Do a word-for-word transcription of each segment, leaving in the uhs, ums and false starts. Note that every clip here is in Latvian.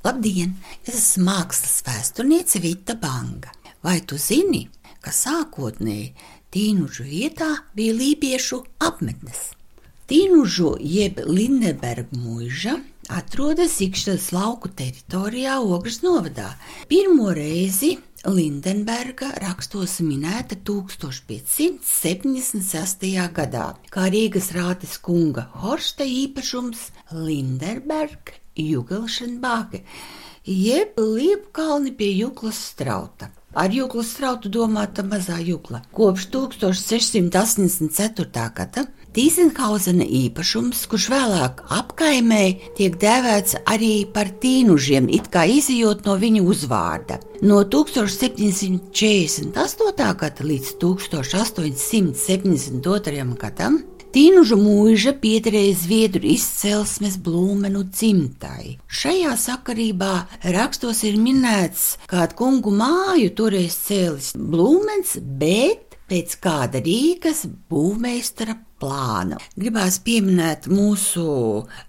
Labdien! Es esmu mākslas vēsturniece Vita Banga. Vai tu zini, ka sākotnēji Tīnužu vietā bija lībiešu apmetnes? Tīnužu jeb Lindenberga muiža atrodas Ikšķeles lauku teritorijā Ogres novadā. Pirmo reizi Lindenberga rakstos minēta tūkstoš piecsimt septiņdesmit sestajā gadā, kā Rīgas rātes kunga Horsta īpašums Lindenberga Jugelšenbāke, jeb Liepkalni pie Juklas strauta. Ar Juklas strautu domāta mazā Jukla. Kopš tūkstoš sešsimt astoņdesmit ceturtā gada Tīzenhauzena īpašums, kurš vēlāk apkaimē tiek dēvēts arī par Tīnužiem, it kā izejot no viņa uzvārda. No tūkstoš septiņsimt četrdesmit astotā gada līdz tūkstoš astoņsimt septiņdesmit otrajam gadam Tīnužu muiža piederēja zviedru izcelsmes Blūmenu dzimtai. Šajā sakarībā rakstos ir minēts, kādu kungu māju toreiz cēlis Blūmens, bet pēc kāda Rīgas būvmeistara plāna. Gribās pieminēt mūsu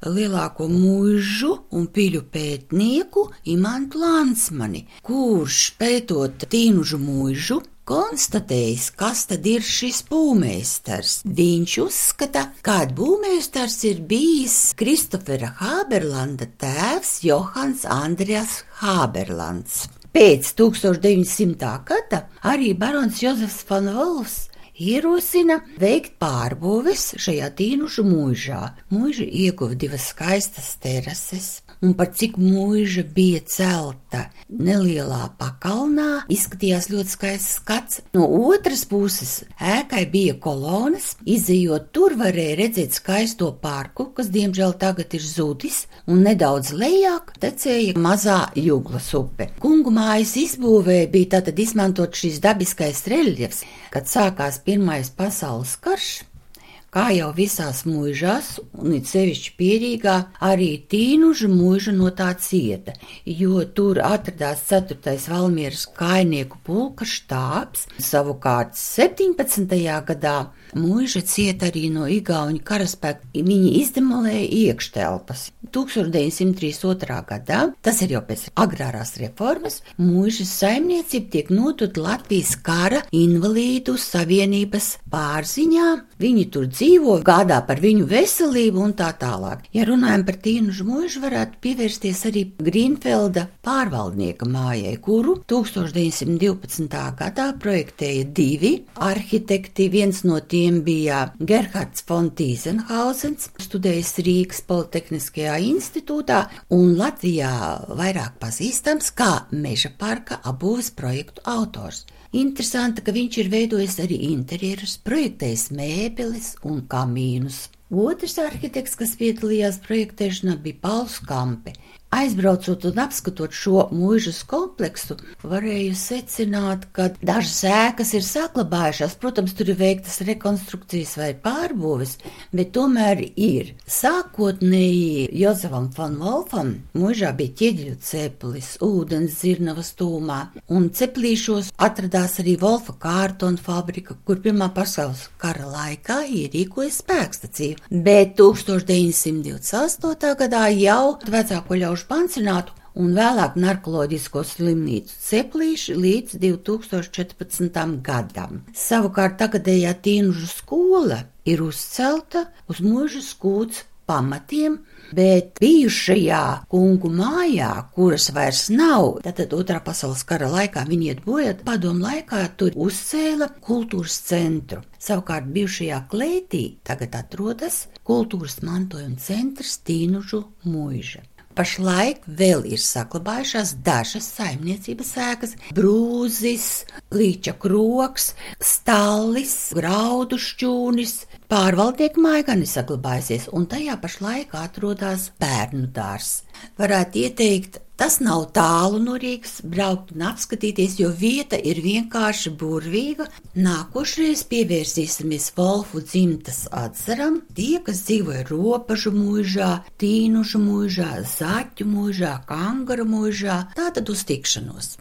lielāko muižu un piļu pētnieku Imantu Lansmani, kurš pētot Tīnužu muižu konstatējis, kas tad ir šis būvmeistars. Viņš uzskata, ka būvmeistars ir bijis Kristofera Hāberlanda tēvs Johans Andreas Hāberlands. Pēc tūkstoš deviņsimtā gada arī barons Jozefs van Wolfs ierosina veikt pārbūves šajā Tīnužu muižā. Muiža ieguva divas skaistas terases, un par cik muiža bija celta nelielā pakalnā, izskatījās ļoti skaists skats. No otras puses ēkai bija kolonas, izejot tur varēja redzēt skaisto parku, kas diemžēl tagad ir zudis, un nedaudz lejāk tecēja mazā Juglas upe. Kungu mājas izbūvē bija tātad izmantot šīs dabiskais reļjefs, kad sākās Pirmais pasaules karš. Kā jau visās muižās, un it sevišķi Pierīgā, arī Tīnužu muiža no tā cieta, jo tur atradās ceturtais Valmieras kājnieku pulka štābs. Savukārt septiņpadsmitajā gadā muiža cieta arī no igauņu karaspēka. Viņi izdemolēja iekštelpas. tūkstoš deviņsimt trīsdesmit otrā gadā, tas ir jau pēc agrārās reformas, muižas saimniecība tiek nodota Latvijas kara invalīdu savienības pārziņā. Viņi tur dzīvo, gādā par viņu veselību un tā tālāk. Ja runājam par Tīnužu muižu, varētu pievērsties arī Grīnfelda pārvaldnieka mājai, kuru tūkstoš deviņsimt divpadsmitā gadā projektēja divi arhitekti. Viens no tiem bija Gerhards von Tīzenhauzens, studējis Rīgas Politehniskajā institūtā un Latvijā vairāk pazīstams kā Meža parka apbūves projektu autors. Interesanti, ka viņš ir veidojis arī interjerus, projektējis mēbeles un kamīnus. Otrs arhitekts, kas piedalījās projektēšanā, bija Pauls Kampe. Aizbraucot un apskatot šo muižas kompleksu, varēju secināt, ka dažas ēkas ir saglabājušās. Protams, tur ir veiktas rekonstrukcijas vai pārbūves, bet tomēr ir. Sākotnēji Jozefam van Wolfam muižā bija ķieģeļu ceplis, ūdens zirnavas tūmā, un ceplīšos atradās arī Wolfa kārtona fabrika, kur Pirmā pasaules kara laikā ierīkoja spēkstaciju. Bet tūkstoš deviņsimt divdesmit astotā gadā jau vecāko ļaužu pansionātu un vēlāk narkoloģisko slimnīcu ceplīši līdz divi tūkstoši četrpadsmitajam gadam. Savukārt tagadējā Tīnužu skola ir uzcelta uz muižas kūts pamatiem, bet bijušajā kungu mājā, kuras vairs nav, tātad Otrā pasaules kara laikā viņi iet bojā, padomu laikā tur uzcēla kultūras centru. Savukārt bijušajā klētī tagad atrodas kultūras mantojuma centrs Tīnužu muiža. Pašlaik vēl ir saglabājušās dažas saimniecības ēkas – Brūzis, Līča krogs, Stallis, Graudu šķūnis. Pārvaldnieka māja gan ir saglabājusies, un tajā pašlaik atrodas bērnu dārzs. Varētu ieteikt, tas nav tālu no Rīgas, braukt un apskatīties, jo vieta ir vienkārši burvīga. Nākošreiz pievērsīsimies Wolfu dzimtas atzaram. Tie, kas dzīvoja Ropažu muižā, Tīnužu muižā, Zaķu muižā, Kangaru muižā, tātad uz tikšanos.